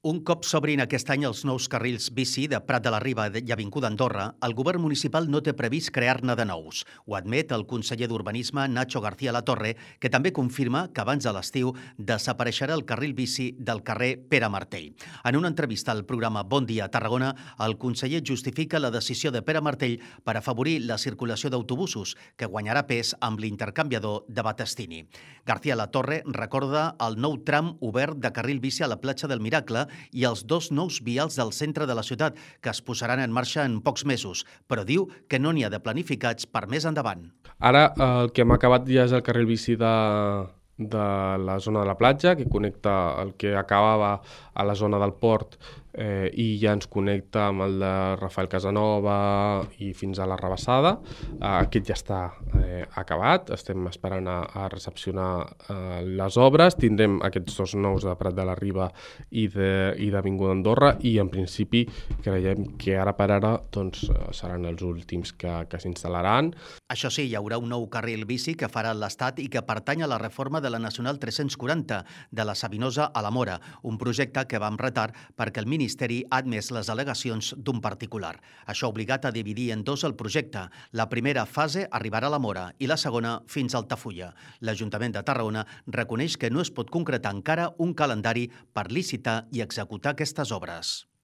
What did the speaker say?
Un cop s'obrin aquest any els nous carrils bici de Prat de la Riba i Avinguda Andorra, el govern municipal no té previst crear-ne de nous. Ho admet el conseller d'Urbanisme, Nacho García Latorre, que també confirma que abans de l'estiu desapareixerà el carril bici del carrer Pere Martell. En una entrevista al programa Bon Dia Tarragona, el conseller justifica la decisió de Pere Martell per afavorir la circulació d'autobusos, que guanyarà pes amb l'intercanviador de Battestini. García Latorre recorda el nou tram obert de carril bici a la platja del Miracle i els dos nous vials del centre de la ciutat, que es posaran en marxa en pocs mesos, però diu que no n'hi ha de planificats per més endavant. Ara el que hem acabat ja és el carril bici de la zona de la platja, que connecta el que acabava a la zona del port i ja ens connecta amb el de Rafael Casanova i fins a la Rabassada. Aquest ja està acabat, estem esperant a recepcionar les obres. Tindrem aquests dos nous de Prat de la Riba i d'Avinguda Andorra i en principi creiem que ara per ara seran els últims que s'instal·laran. Això sí, hi haurà un nou carril bici que farà l'Estat i que pertany a la reforma de la Nacional 340 de la Sabinosa a la Mora, un projecte que va amb retard perquè el Ministeri ha admès les al·legacions d'un particular. Això ha obligat a dividir en dos el projecte. La primera fase arribarà a la Mora i la segona fins a Altafulla. L'Ajuntament de Tarragona reconeix que no es pot concretar encara un calendari per licitar i executar aquestes obres.